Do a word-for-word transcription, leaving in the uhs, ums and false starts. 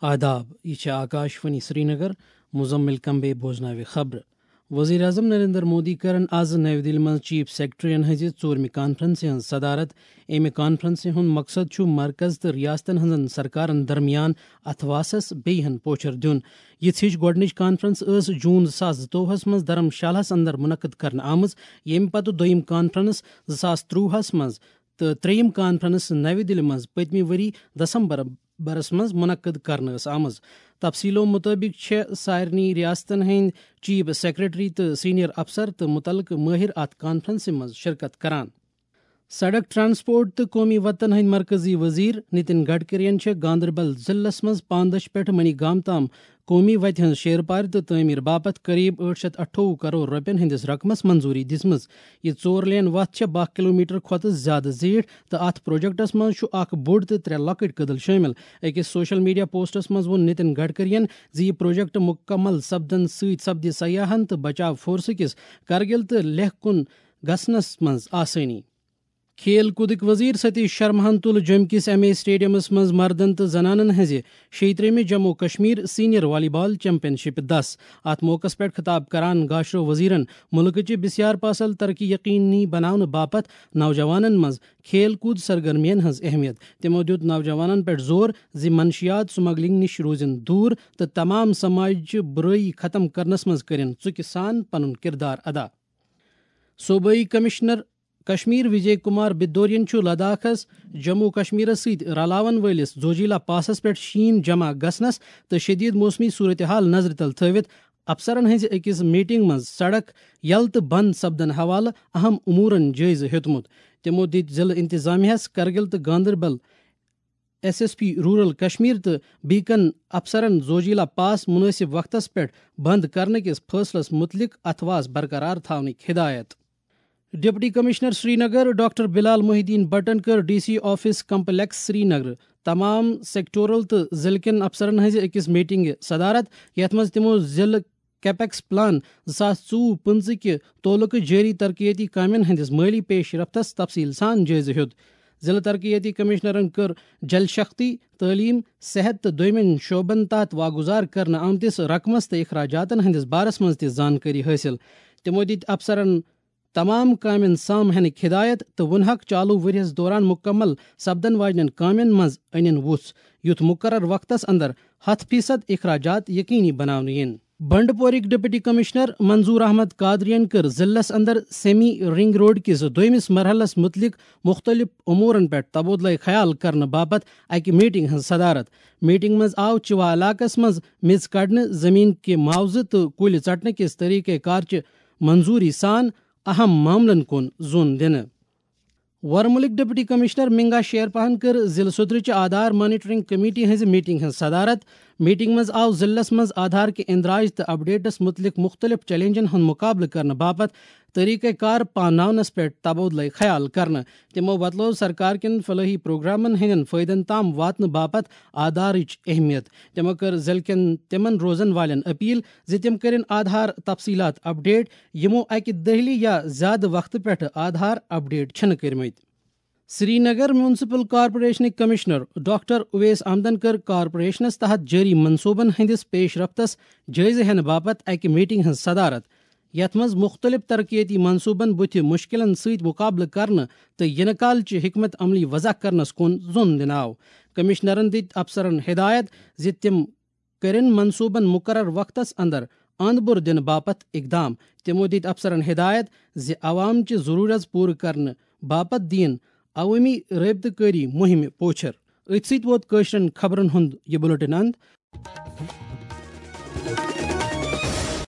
آداب، یہِ چھِ آکاش وانی سرینگر۔ مزمل کمبے بوزناوِ خبرٕ۔ وزیر اعظم نریندر مودی کَرَن آز نَوِ دِلہِ منٛز چیف سیکرٹریَن ہٕنٛزِ ژوٗرمہِ کانفرنسہِ ہٕنٛز صدارت۔ اَمہِ کانفرنسہِ ہُنٛد مقصد چھُ مرکز تہٕ ریاستن ہٕنٛزن سرکارن درمیان اتھواسس بیٚیہِ ہن پوچھر دیُن۔ یِژھ ہِش گۄڈٕنِچ کانفرنس ٲس جون زٕ ساس زٕتووُہس منٛز دھرم شالہس اندر منعقد کرنہٕ آمٕژ، ییٚمہِ پتہٕ دوٚیِم کانفرنس زٕ ساس ترٛۆوُہس منٛز تہٕ ترٛیٚیِم کانفرنس نَوِ دِلہِ منٛز پٔتمہِ ؤری دسمبر برس منٛز منعقد کرنہٕ ٲس آمٕژ۔ تفصیلو مُطٲبِق چھےٚ سارنٕے ریاستن ہٕنٛدۍ چیف سیکرٹری تہٕ سینئر افسر تہٕ مُتعلقہٕ مٲہِر اتھ کانفرنسہِ منٛز شرکت کران۔ سڑک ٹرانسپورٹ تہٕ قومی وتن ہٕنٛدۍ مرکزی وزیر نتن گڈکرین چھےٚ گاندربل ضلعس منٛز پاندچھ پٮ۪ٹھ منی گام تام قومی وتہِ ہٕنٛز شیرپارِ تہٕ تعمیٖر باپتھ قریب ٲٹھ شیٚتھ اَٹھووُہ کرور رۄپین ہٕنٛدِس رقمس منظوٗری دِژمٕژ۔ یہِ ژور لین وتھ چھےٚ باہ کلومیٹر کھۄتہٕ زیادٕ زیٖٹھ تہٕ اتھ پروجیکٹس منٛز چھُ اکھ بوٚڑ تہٕ ترٛےٚ لۄکٕٹۍ کٔدٕل شٲمِل۔ أکِس سوشل میڈیا پوسٹس منٛز ووٚن نتن گڈکرین زِ یہِ پروجیکٹ مُکمل سپدنہٕ سۭتۍ سپدِ سیاحن تہٕ بچاو فورسہٕ کِس کرگِل تہٕ لیہہ کُن گژھنس منٛز آسٲنی۔ کھیل کوٗدٕکۍ وزیر ستیش شرماہن تُل جوٚمہِ کِس ایم اے اسٹیڈیمس منٛز مردن تہٕ زنانن ہٕنٛزِ شیٚیہِ ترٛیٚیمہِ جموں کشمیر سینئر والی بال چیمپین شپ دس۔ اتھ موقعس پٮ۪ٹھ خطاب کران گاشرو وزیرن مُلکٕچہِ بسیار پاسل ترقی یقینی بناونہٕ باپتھ نوجوانن منٛز کھیل کوٗد سرگرمین ہٕنٛز اہمیت۔ تِمو دیُت نوجوانن پٮ۪ٹھ زور زِ منشیات سمگلنگ نِش روٗزِن دوٗر تہٕ تمام سماجچہِ بُرٲیی ختم کرنس منٛز کٔرِن ژُکہِ سان پنُن کردار ادا۔ صوبٲئی کمشنر کشمیر وجے کمار بدورین چھُ لداخس جموں کشمیرس سۭتۍ رلاون وٲلِس زوجیلا پاسس پٮ۪ٹھ شیٖن جمع گژھنس تہٕ شدید موسمی صورتحال نظرِ تل تھٲوِتھ افسرن ہٕنٛزِ أکِس میٹنگ منٛز سڑک یلہٕ تہٕ بند سپدن حوالہٕ اہم امورن جٲیزٕ ہیوٚتمُت۔ تِمو دِتۍ ضلعہٕ انتظامیہس کرگل تہٕ Ganderbal S S P rural Kashmir تہٕ بیکن افسرن زوجیلا پاس مناسب وقتس پٮ۪ٹھ بند کرنہٕ کِس فٲصلس متعلق اتھواس برقرار تھاونٕکۍ ہدایت۔ Deputy commissioner Srinagar doctor Bilal Mohiuddin بٹن کٔر D C office complex Srinagar تمام سیکٹورل تہٕ ضلعہٕ کٮ۪ن افسرن ہٕنٛزِ أکِس میٹنگہِ صدارت، یتھ منٛز تِمو ضلعہٕ کیپیکس پلان زٕ ساس ژوٚوُہ پٕنٛژٕہ کہِ تعلقہٕ جٲری ترقیتی کامٮ۪ن ہٕنٛدِس مٲلی پیش رفتس تفصیل سان جٲیزٕ ہیوٚت۔ ضلعہٕ ترقیتی کمشنرن کٔر جل شکتی، تعلیٖم، صحت تہٕ دوٚیمٮ۪ن شعبن تحت واگُزار کرنہٕ آمتِس رقمس تہٕ اخراجاتن ہٕنٛدِس بارس منٛز تہِ زانکٲری حٲصِل۔ تِمو دِتۍ افسرن تمام کامٮ۪ن سام ہینٕکۍ ہدایت تہٕ ووٚنہکھ چالو ؤریَس دوران مُکمل سپدن واجنٮ۪ن کامٮ۪ن منٛز أنِن وُژھ، یُتھ مُقرر وقتس اندر ہتھ فیصد اخراجات یقینی بناونہٕ یِن۔ بنڈپورٕکۍ ڈپٹی کمشنر منظور احمد قادرین کٔر ضلعس اندر سیمی رنگ روڈ کِس دوٚیمِس مرحلس مُتعلق مُختٔلِف امورن پٮ۪ٹھ تبادلہٕ خیال کرنہٕ باپتھ اکہِ میٹنگ ہٕنٛز صدارت۔ میٹنگ منٛز آو چِوا علاقس منٛز میٚژ کڑنہٕ، زمین کہِ معاوضہٕ تہٕ کُلۍ ژٹنہٕ کِس طریقہ کار چہِ منظوری سان اہم معاملن کُن زون دِنہٕ۔ ورمُلٕکۍ ڈپٹی کمشنر منگا شیرپاہن کٔر ضلعہٕ صدرٕچہِ آدھار مانیٹرنگ کمیٹی ہٕنٛزِ میٹنگ ہٕنٛز صدارت۔ میٹنگ منٛز آو ضلعس منٛز آدھار کہِ اندراج تہٕ اپڈیٹس مُتعلق مُختٔلِف چیلنجن ہُنٛد مُقابلہٕ کرنہٕ باپتھ طریقہ کار پاناونس پٮ۪ٹھ تبادلہٕ خیال کرنہٕ۔ تِمو وۄتلٲو سرکار کٮ۪ن فلٲحی پروگرامن ہٕنٛدٮ۪ن فٲیدن تام واتنہٕ باپتھ آدھارٕچ اہمیت۔ تِمو کٔر ضلعہٕ کٮ۪ن تِمن روزن والٮ۪ن اپیل زِ تِم کٔرِن آدھار تفصیلات اپڈیٹ، یِمو اکہِ دٔہلہِ یا زیادٕ وقتہٕ پٮ۪ٹھٕ آدھار اپڈیٹ چھِنہٕ کٔرمٕتۍ۔ سرینگر میونسپل کارپوریشنٕکۍ کمشنر ڈاکٹر اویس احمدن کٔر کارپوریشنس تحت جٲری منصوبن ہٕنٛدِس پیش رفتس جٲیزٕ ہینہٕ باپتھ اکہِ میٹنگ ہٕنٛز صدارت، یتھ منٛز مُختٔلِف ترقیتی منصوبن بُتھِ مُشکِلن سۭتۍ مُقابلہٕ کرنہٕ تہٕ یِنہٕ کال چہِ حکمت عملی وضع کرنس کُن زون دِنہٕ آو۔ کمشنرن دِتۍ افسرن ہدایت زِ تِم کٔرِن منصوبن مُقرر وقتس اندر اند بُر دِنہٕ باپتھ اقدام۔ تِمو دِتۍ افسرن ہدایت زِ عوام چہِ ضروٗرت پوٗرٕ کرنہٕ باپتھ دِیِن عوٲمی رٲبطہٕ کٲری مُہِمہِ پوچھر۔ أتھۍ سۭتۍ ووت کٲشرٮ۪ن خبرن ہُنٛد یہِ بُلٹن اند۔